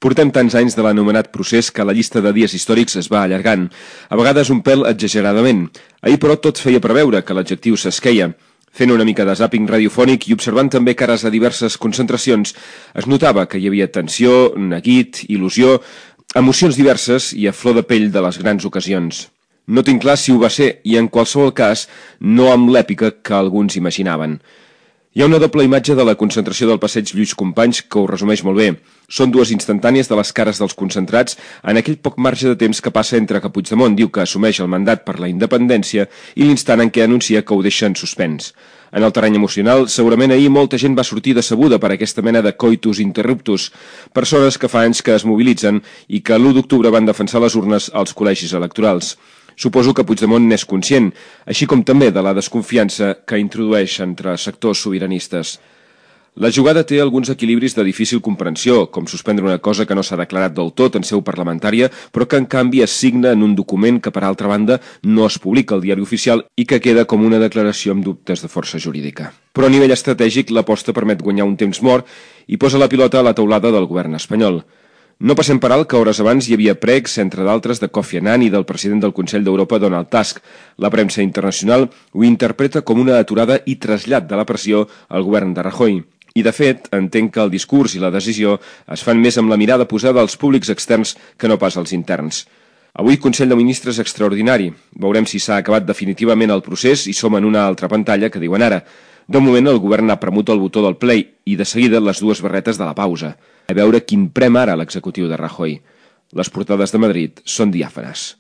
Portem tants anys de l'anomenat procés que la llista de dies històrics es va allargant, a vegades un pèl exageradament. Ahir, però, tot feia preveure que l'adjectiu s'esqueia. Fent una mica de zàping radiofònic i observant també cares a diverses concentracions, es notava que hi havia tensió, neguit, il·lusió, emocions diverses i a flor de pell de les grans ocasions. No tinc clar si ho va ser i, en qualsevol cas, no amb l'èpica que alguns imaginaven. Hi ha una doble imatge de la concentració del passeig Lluís Companys que ho resumeix molt bé. Són dues instantànies de les cares dels concentrats en aquell poc marge de temps que passa entre que Puigdemont diu que assumeix el mandat per la independència i l'instant en què anuncia que ho deixa en suspens. En el terreny emocional, segurament ahir molta gent va sortir decebuda per aquesta mena de coitus interruptus, persones que fa anys que es mobilitzen i que l'1 d'octubre van defensar les urnes als col·legis electorals. Suposo que Puigdemont n'és conscient, així com també de la desconfiança que introdueix entre sectors sobiranistes. La jugada té alguns equilibris de difícil comprensió, com suspendre una cosa que no s'ha declarat del tot en seu parlamentària, però que en canvi es signa en un document que, per altra banda, no es publica al diari oficial i que queda com una declaració amb dubtes de força jurídica. Però a nivell estratègic, l'aposta permet guanyar un temps mort i posa la pilota a la teulada del govern espanyol. No passem per alt que hores abans hi havia pregs, entre d'altres, de Kofi Annan i del president del Consell d'Europa, Donald Tusk. La premsa internacional ho interpreta com una aturada i trasllat de la pressió al govern de Rajoy. I, de fet, entenc que el discurs i la decisió es fan més amb la mirada posada als públics externs que no pas als interns. Avui Consell de Ministres extraordinari. Veurem si s'ha acabat definitivament el procés i som en una altra pantalla que diuen ara. De moment el govern ha premut el botó del play i de seguida les dues barretes de la pausa. A veure quin prem ara l'executiu de Rajoy. Les portades de Madrid són diàfanes.